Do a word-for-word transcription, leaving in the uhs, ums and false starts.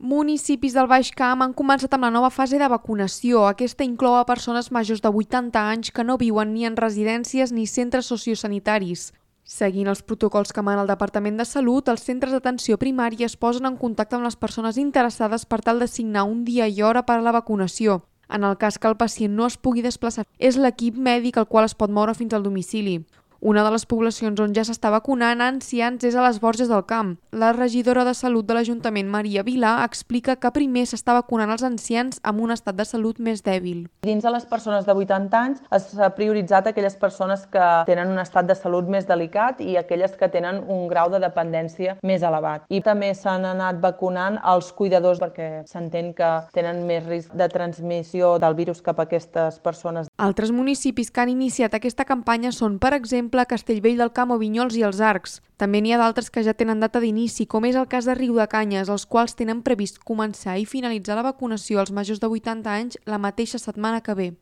Municipis del Baix Camp han començat amb la nova fase de vacunació. Aquesta inclou a persones majors de vuitanta anys que no viuen ni en residències ni centres sociosanitaris. Seguint els protocols que mana el Departament de Salut, els centres d'atenció primària es posen en contacte amb les persones interessades per tal de signar un dia i hora per a la vacunació. En el cas que el pacient no es pugui desplaçar, és l'equip mèdic el qual es pot moure fins al domicili. Una de les poblacions on ja s'està vacunant a ancians és a les Borges del Camp. La regidora de Salut de l'Ajuntament, Maria Vilà, explica que primer s'està vacunant els ancians amb un estat de salut més dèbil. Dins de les persones de vuitanta anys s'ha prioritzat aquelles persones que tenen un estat de salut més delicat i aquelles que tenen un grau de dependència més elevat. I també s'han anat vacunant els cuidadors perquè s'entén que tenen més risc de transmissió del virus cap a aquestes persones. Altres municipis que han iniciat aquesta campanya són, per exemple, Castellvell del Camp o Vinyols i els Arcs. També n'hi ha d'altres que ja tenen data d'inici, com és el cas de Riudecanyes, els quals tenen previst començar i finalitzar la vacunació als majors de vuitanta anys la mateixa setmana que ve.